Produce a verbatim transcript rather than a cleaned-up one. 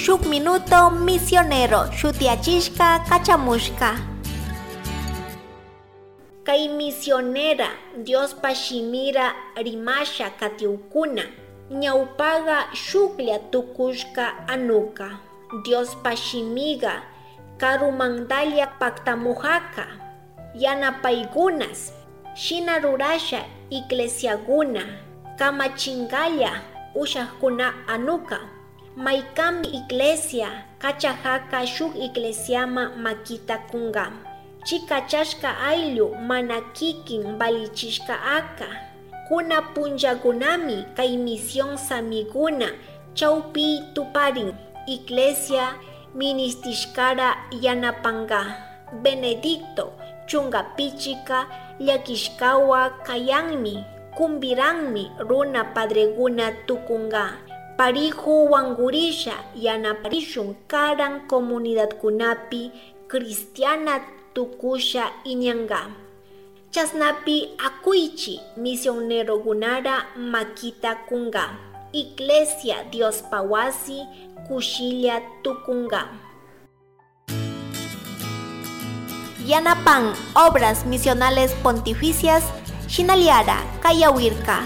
Shuk minuto misionero shutiyachishka kachamushka. Kay misionera Diospa shimira rimasha katiukuna ñawpaga shuklla tukushka anuka. Diospa shimiga karumandalla paktamujaja yanapaykunas, shina rurasha iglesiakuna kamachingalla ushakkuna anuka. Maykanbi iglesia kachajaka shuk iglesiama makita kunga. Chikachashka ayllu mana kikin valichishka aka. Kuna punllakunami kay misión samikuna chawpi tuparin. Iglesia ministishkara yanapanga. Benedicto chunga pichika llakishkawa kayanmi, kumbiranmi runa padrekuna tukunga. Pariju wangurisha yanaparishun karan comunidadkunapi cristiana tukusha iñanga. Chasnapi akuychi misionerokunara makita kunga. Iglesia Diospa wasi kushilla tukunga. Yanapan Obras Misionales Pontificias shinallara kayawirka.